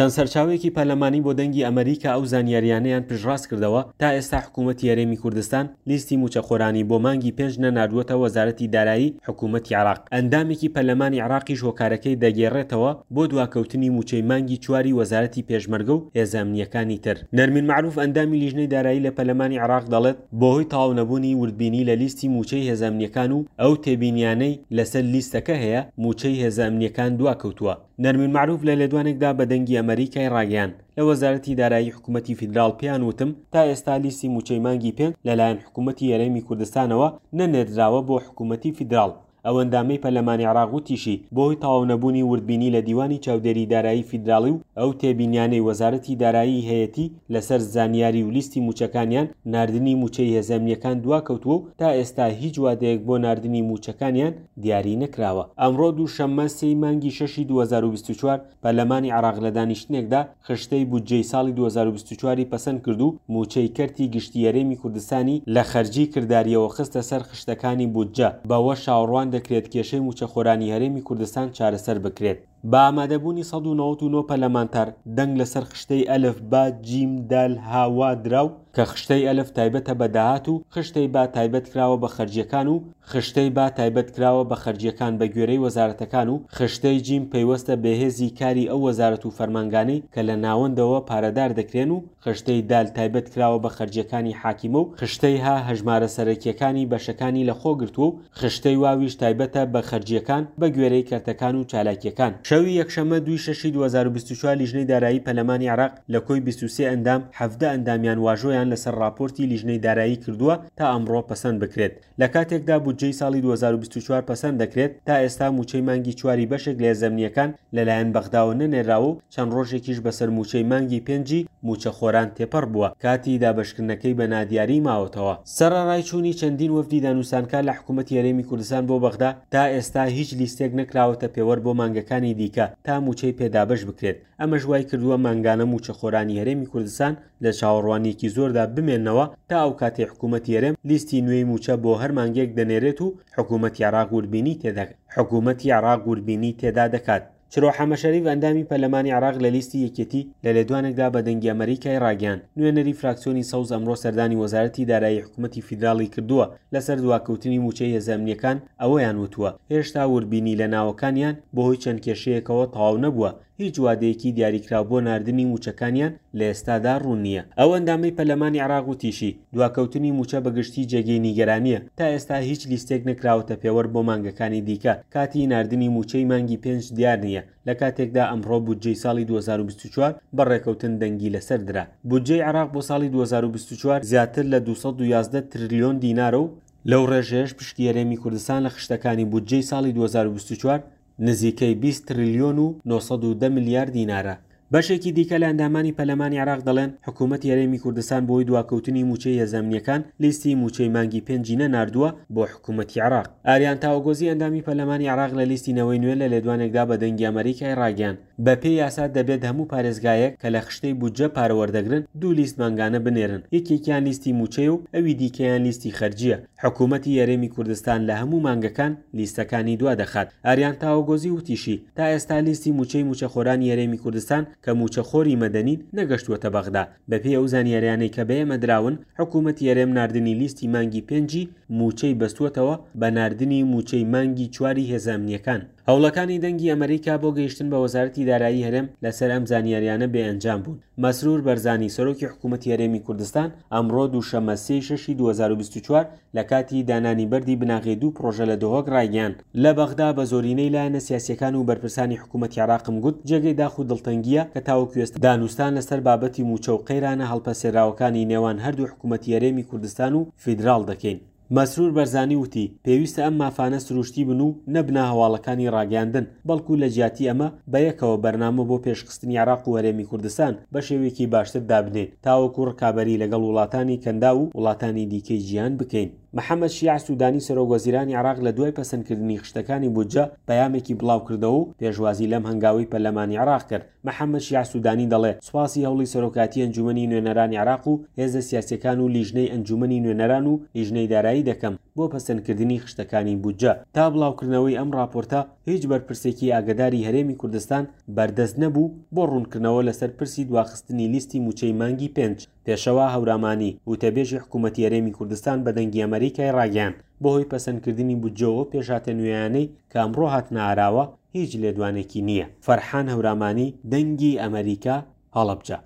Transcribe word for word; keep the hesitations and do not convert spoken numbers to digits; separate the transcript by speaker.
Speaker 1: چەند سەرچاوەیەکی پەرلەمانی بۆ دەنگی ئەمەریکا ئەو زانیاریانەیان پشتڕاست کردەوە تا ئێستا حکوومەتی هەرێمی کوردستان لیستی مووچەخۆرانی بۆ مانگی پێنج نەناردووەتە وەزارەتی دارایی حکوومەتی عێراق. ئەندامێکی پەرلەمانی عێراقیش هۆکارەکەی دەگێڕێتەوە بۆ دواکەوتنی مووچەی مانگی چواری وەزارەتی پێشمەرگە و هێزە ئەمنییەکانی تر. نەرمین مەعروف ئەندامی لیژنەی دارایی لە پەرلەمانی عێراق دەڵێت بەهۆی تەواو نەبوونی وردبینی لە لیستی مووچەی هێزە ئەمنییەکان و ئەو تێبینیانەی لەسەر لیستەکە هەیە مووچەی هێزە ئەمنییەکان دواکەوتووە. نەرمین مەعروف لە لێدوانێکدا بە دەنگی ئەمەریکای ڕاگەیاند لە وەزارەتی دارایی حکوومەتی فیدراڵ پێیان وتم تا ئێستا لیستی مووچەی مانگی پێنج لەلایەن حکوومەتی هەرێمی کوردستانەوە نەنێردراوە بۆ حکوومەتی فیدراڵ. ئەو ئەندامەی پەرلەمانی عێراق وتیشی بەهۆی تەواو نەبوونی وردبینی لە دیوانی چاودێری دارایی فیدراڵی و ئەو تێبینیانەی وەزارەتی دارایی هەیەتی لەسەر زانیاری و لیستی مووچەکانیان ناردنی مووچەی هێزە ئەمنییەکان دواکەوتووە و تا ئێستا هیچ وادەیەک بۆ ناردنی مووچەکانیان دیاری نەکراوە. ئەمڕۆ دووشەممە سێی مانگی شەشی دوو هەزار و بیست و چوار پەرلەمانی عێراق لە دانیشتنێکدا خشتەی بودجەی ساڵی دوو هەزار و بیست و چواری پەسەند کرد و مووچەی کەرتی گشتی هەرێمی کوردستانی لە خەرجی کرداریەوە خستە سەر خشتەکانی بودجە، بەوە چاوەڕوان دەکرێت کێشەی مووچەخۆرانی هەرێمی کوردستان چارەسەر بکرێت. بە ئامادەبوونی سەد و نەوەد و نۆ پەرلەمانتار دەنگ لەسەر خشتەی ئەلف با جیم دال هاوا دراو کە خشتەی ئەلف تایبەتە بە داهات و خشتەی با تایبەت کراوە بە خەرجیەکان و خشتەی با تایبەت کراوە بە خەرجیەکان بە گوێرەی وەزارەتەکان و خشتەی جیم پەیوەستە بەهێزی کاری ئەو وەزارەت و فەرمانگانەی کە لە ناوەندەوە پارەدار دەکرێن و خشتەی دال تایبەت کراوە بە خەرجیەکانی حاکیمە و خشتەی ها هەژمارە سەرەکیەکانی بەشەکانی لەخۆ گرتووە و خشتەی واویش تایبەتە بە خەرجیەکان بە گوێرەی کەرتەکان و چالاکیەکان. شەوی یەکشەممە دووی شەشی دوو هەزار و بیست و چوار لیژنەی دارایی پەرلەمانی عێراق لە کۆی بیست و سێ ئەندام حەڤدە ئەندامیان واژۆیان لەسەر راپۆرتی لیژنەی دارایی کردووە تا ئەمڕۆ پەسەند بکرێت. لە کاتێکدا بودجەی ساڵی دوو هەزار و بیست و چوار پەسەند دەکرێت تا ئێستا مووچەی مانگی چواری بەشێک لە هێزە ئەمنییەکان لەلایەن بەغداوە نەنێراوە و چەند ڕۆژێکیش بەسەر مووچەی مانگی پێنجی مووچەخۆران تێپەڕ بووە کاتی دابەشکردنەکەی بە نادیاری ماوەتەوە. سەرەڕای چوونی چەندین وەفدی دانوستانکار لە حکوومەتی هەرێمی کوردستان بۆ بەغدا تا ئێستا هیچ لیستێک نەکراوەتە پێوەر بۆ مانگەکانی دیکە تا مووچەی پێدابەش بکرێت. ئەمەش وای کردووە مانگانە مووچەخۆرانی هەرێمی کوردستان لە چاوەڕوانیەکی زۆردا بمێننەوە تا ئەو کاتێ حکوومەتی هەرێم لیستی نوێی مووچە بۆ هەر مانگێک دەنێرێت و حکوومەتی عێراق وردبینی تێدا حکوومەتی عێراق وردبینی تێدا دەکات. چرۆ حەمەشەریف ئەندامی پەرلەمانی عێراق لە لیستی یەکێتی لە لێدوانێکدا بە دەنگی ئەمەریکای ڕاگەیاند نوێنەری فراکسیۆنی سەوز ئەمڕۆ سەردانی وەزارەتی دارایی حکوومەتی فیدراڵی کردووە لەسەر دواکەوتنی مووچەی هێزە ئەمنییەکان ئەوەیان وتووە هێشتا وردبینی لە ناوەکانیان بەهۆی چەند کێشەیەکەوە تەواو نەبووە، هیچ وادەیەکی دیاریکراو بۆ ناردنی مووچەکانیان لە ئێستادا ڕوون نییە. ئەو ئەندامەی پەرلەمانی عێراق وتیشی دواکەوتنی مووچە بەگشتی جێگەی نیگەرانیە، تا ئێستا هیچ لیستێک نەکراوەتە پێوەر بۆ مانگەکانی دیکە، کاتی ناردنی مووچەی مانگی پێنج دیار نییە. لە کاتێکدا ئەمڕۆ بودجەی ساڵی دوو هەزار و بیست و چوار بە ڕێکەوتن دەنگی لەسەر درا. بودجەی عێراق بۆ ساڵی دوو هەزار و بیست و چوار زیاتر لە دوو سەد و یازدە تریلیۆن دینارە و لەو ڕێژەیەش پشکی هەرێمی کوردستان لە خشتەکانی بودجەی ساڵی دوو هەزار و بیست و چوار نزیکەی بیست تریلیۆن و نۆ سەد و دە ملیار دینارە. بەشێکی دیکە لە ئەندامانی پەرلەمانی عێراق دەڵێن حکوومەتی هەرێمی کوردستان بۆی دواکەوتنی مووچەی هێزە ئەمنییەکان لیستی مووچەی مانگی پێنجی نەناردووە بۆ حکوومەتی عێراق. ئاریان تاوەگۆزی ئەندامی پەرلەمانی عێراق لە لیستی نەوەی نوێ لە لێدوانێکدا بە دەنگی ئەمەریکای ڕاگەیاند بە پێی یاسا دەبێت هەموو پارێزگایەک کە لە خشتەی بودجە پارە وەردەگرن دوو لیست مانگانە بنێرن، یەکێکیان لیستی مووچەیە و ئەوی دیکەیان لیستی خەرجیە. حکوومەتی هەرێمی کوردستان لە هەموو مانگەکان لیستەکانی دوا دەخات. ئاریان تاوەگۆزی وتیشی تا ئێستا لیستی مووچەی مووچەخۆرانی هەرێمی کوردستان کە مووچەخۆری مەدەنین نەگەشتووەتە بەغدا. بەپێی ئەو زانیاریانەی کە بە ئێمە دراون حکوومەتی هەرێم ناردنی لیستی مانگی پێنجی مووچەی بەستووەتەوە بە ناردنی مووچەی مانگی چواری هێزە ئەمنییەکان. هەوڵەکانی دەنگی ئەمریکا بۆ گەیشتن بە وەزارەتی دارایی هەرێم لەسەر ئەم زانیاریانە بێئەنجام بوون. مەسرور بەرزانی سەرۆکی حکوومەتی هەرێمی کوردستان ئەمڕۆ دووشەممە سێی شەشی دوو هەزار و بیست و چوار لە کاتی دانانی بەردی بناغەی دوو پرۆژە لە دهۆک ڕایگەیاند لە بەغدا بە زۆرینەی لایەنە سیاسیەکان و بەرپرسانی حکوومەتی عێراقم گوت جێگەی داخ و دڵتەنگیە کە تاوەکو ئێستا دانوستان لەسەر بابەتی مووچە و قەیرانە هەڵپەسێراوەکانی نێوان هەردوو حکوومەتی هەرێمی کوردستان و فیدراڵ دەکەین. مەسرور بەرزانی وتی پێویستە ئەم مافانە سروشتی بن و نەبنە هەواڵەکانی ڕاگەیاندن، بەڵکو لە جیاتی ئەمە بەیەکەوە بەرنامە بۆ پێشخستنی عێراق و هەرێمی کوردستان بە شێوەیەکی باشتر دابنێن تاوەکو ڕکابەری لەگەڵ وڵاتانی کەندا و وڵاتانی دیکەی جیهان بکەین. محەممەد شیاع سودانی سەرۆک وەزیرانی عێراق لە دوای پەسەندکردنی خشتەکانی بودجە پەیامێکی بڵاو کردەوە و پێشوازی لەم هەنگاوەی پەرلەمانی عێراق کرد. محەممەد شیاع سودانی دەڵێ سوپاسی هەوڵی سەرۆکاتی ئەنجومەنی نوێنەرانی عێراق و هێزە سیاسیەکان و لیژنەی ئەنجومەنی نوێنەران و لیژنەی دارایی دەکەم بۆ پەسەندکردنی خشتەکانی بودجە. تا بڵاوکردنەوەی ئەم ڕاپۆرتە هیچ بەرپرسێکی ئاگداری هەرێمی کوردستان بەردەست نەبوو بۆ ڕوونکردنەوە لەسەر پرسی دواخستنی لیستی موچەی مانگی پێنج. پێشەوا هەورامانی وتەبێژی حکوومەتی هەرێمی کوردستان بە دەنگی ئەمەریکای ڕاگەیاند بەهۆی پەسەندکردنی بودجەوە پێشهاتە نوێیانەی کە ئەمڕۆ هاتنە ئاراوە هیچ لێدوانێکی نییە. فەرحان هەورامانی، دەنگی ئەمەریکا، هەڵەبجە.